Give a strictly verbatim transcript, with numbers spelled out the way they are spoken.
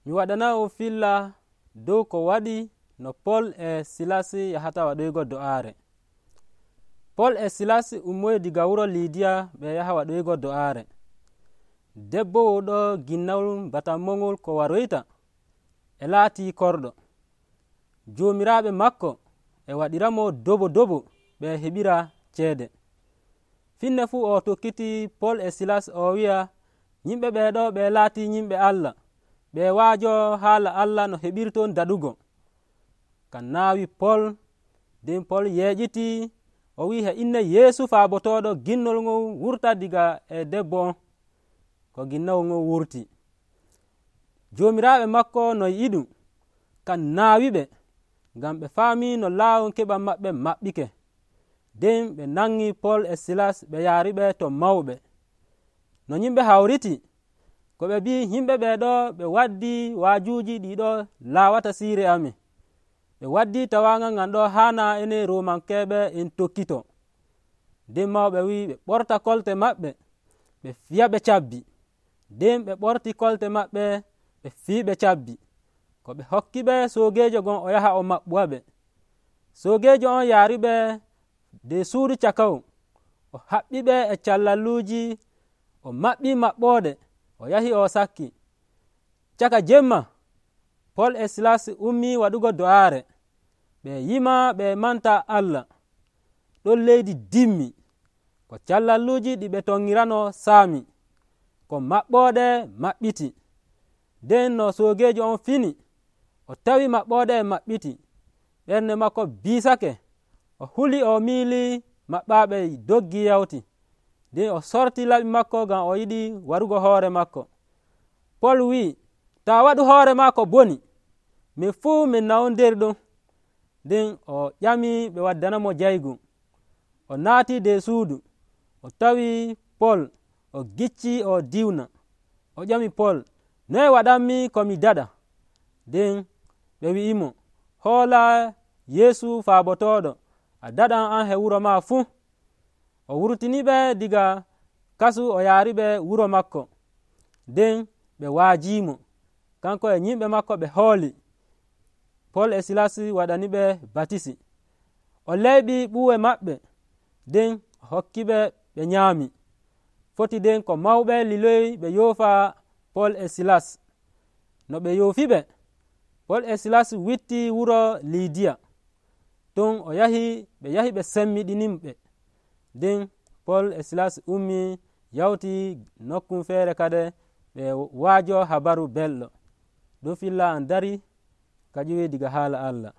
mi waɗana'on filla dow ko waɗi no pol e silasi yahata waɗoygo do'aare. pol e silasi ummoyi diga wuro lidiya ɓe yaha waɗoygo do'aare. debbo oɗo ginnawol batammongol ko waroyta e laati korɗo. joomiraaɓe makko e waɗiramo dobo dobo ɓe heɓira ceede. finne fuu o tokkiti pol e silas o wi'a yimɓe ɓeeɗo ɓe laati yimɓe Allah, ɓe waajo haala Allah no heɓirton daɗugo. kan naawi pol. nden pol yeeƴiti o wi he inne yeesu faabotoɗo ginnol ngon wurta diga e debbo on, ko ginnawol ngon wurti. joomiraaɓe makko no yiɗum kan naawiɓe ngam ɓe faami no laawol keɓan maɓɓe maɓɓike. nden ɓe nangi pol e silas ɓe yaariɓe to mawɓe. no yimɓe hawriti ko ɓe mbi yimɓe ɓeeɗo ɓe waddi waajuuji ɗiɗo laawata siire amin. ɓe waddi tawaangal ngan ɗo haana enen romankeɓe en tokkito. nden mawɓe wi ɓe ɓorta kolte maɓɓe ɓe fiya ɓe cabbi. nden ɓe ɓorti kolte maɓɓe ɓe fii ɓe cabbi. ko ɓe hokki ɓe soogeejo gon o yaha o maɓɓuwa ɓe. soogeejo on yaariɓe de suudu cakaw, o haɓɓi ɓe e callalluuji, o maɓɓi maɓɓoode, o yahi o sakki. caka jemma pol e silas ummi waɗugo do'aare. ɓe yima ɓe manta Allah. ɗon leydi dimmi, ko callalluuji ɗi ɓe tonŋirano saami, ko maɓɓoode maɓɓiti. nden no soogeejo on fini, o tawi maɓɓoode e maɓɓiti, ɓernde makko biisake, o huli o miili maɓɓaaɓe doggi yawti. nden o sorti laɓi makko ngam o yiɗi warugo hoore makko. pol wi'i ta waɗu hoore maako boni, min fuu min nawon nder ɗon. nden o ƴami ɓe waddanamo jaygu. o naati de suudu, o tawi pol, o gicci o diwna. o ƴami pol, noye waɗanmi ko mi daɗa? nden ɓe wi'imo, hoola yeesu faabotoɗo, a daɗan an he wuro ma fuu. o wurtiniɓe diga kasu o yaariɓe wuro makko. nden ɓe waajimo, kanko e yimɓe makko ɓe hooli. pol e silas waɗaniɓe batisi. o leyɓi ɓuuwe maɓɓe, nden o hokkiɓe ɓe nyaami. foti nden ko mawɓe liloyi ɓe yoofa pol e silas. no ɓe yoofiɓe, pol e silas witti wuro lidiya. ton o yahi ɓe yahi ɓe semmiɗinimɓe. nden pol e silas ummi yawti nokkum feere kade ɓe waajo habaru belɗo. ɗum filla an dari ka ƴiwi diga haala Allah.